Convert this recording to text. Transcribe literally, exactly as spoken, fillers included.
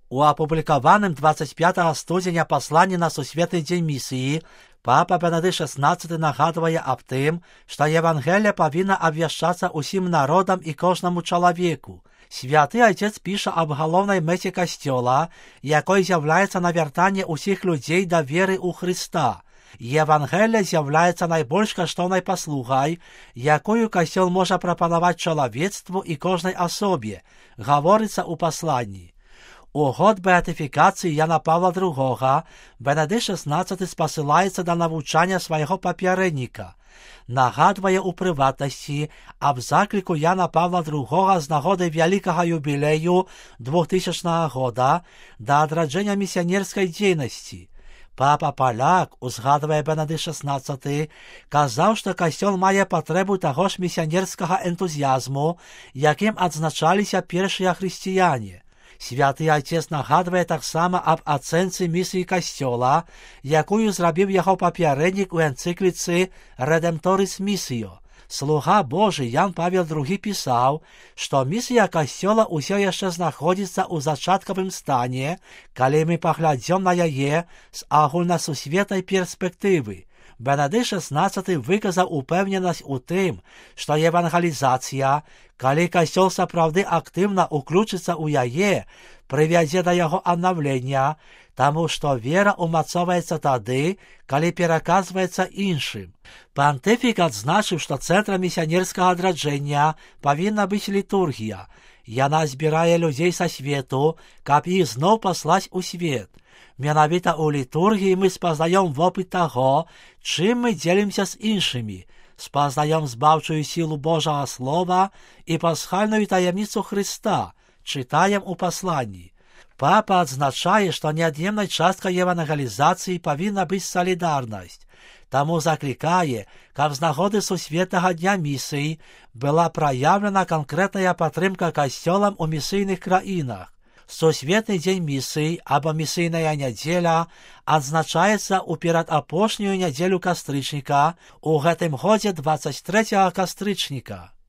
У апублікаваным двадцать пятага студзеня пасланні на сусветны дзень місіі папа Бенедыкт шаснаццаты нагадвае аб тым, што Евангелія павінна абвяшчацца ўсім народам і кожнаму чалавеку. Святы Айцец піша аб галоўнай мэце Касцёла, якой з'яўляецца навяртанне ўсіх людзей да веры ў Хрыста. Евангелія з'яўляецца найбольш каштоўнай паслугай, якую Касцёл можа прапанаваць чалавецтву і кожнай асобе, гаворыцца ў пасланні. У год беатыфікацыі Яна Павла другога Бенедыкт шаснаццаты спасылаецца да навучання свайго папярэдніка. Нагадвае ў прыватнасці аб закліку Яна Павла другога з нагоды вялікага юбілею двухтысячнага года да адраджэння місіянерскай дзейнасці. Папа Паляк, узгадвае Бенедыкт шаснаццаты, казаў, што Касцёл мае патрэбу таго ж місіянерскага энтузіязму, якім адзначаліся першыя хрысціяне. Святы Айцец нагадвае таксама аб ацэнцы місіі Касцёла, якую зрабіў яго папярэднік у энцыкліцы «Redemptoris Missio». Слуга Божы Ян Павел другі пісаў, што місія Касцёла ўсё яшчэ знаходзіцца ў зачаткавым стане, калі мы паглядзём на яе з агульнасусветнай перспектывы. Бенедыкт шаснаццаты выказаў упэўненасць у тым, што евангелізацыя, калі Касцёл сапраўды актыўна ўключыцца ў яе, прывядзе да яго аднаўлення, таму што вера ўмацоўваецца тады, калі пераказваецца іншым. Пантыфік адзначыў, што цэнтрам місіянерскага адраджэння павінна быць літургія. Яна збірае людзей са свету, каб іх зноў паслаць у свет. Менавіта ў літургіі мы спазнаём вопыт таго, чым мы дзелімся з іншымі, спазнаём збаўчую сілу Божага Слова і пасхальную таямніцу Хрыста, чытаем у пасланні. Папа адзначае, што неад'емнай часткай евангелізацыі павінна быць салідарнасць. Таму заклікае, каб з нагоды сусветнага дня місій была праяўлена канкрэтная падтрымка касцёлам у місійных краінах. Сусветны дзень місій або місійная нядзеля адзначаецца ў перадапошнюю нядзелю кастрычніка, у гэтым годзе дваццаць трэцяга кастрычніка.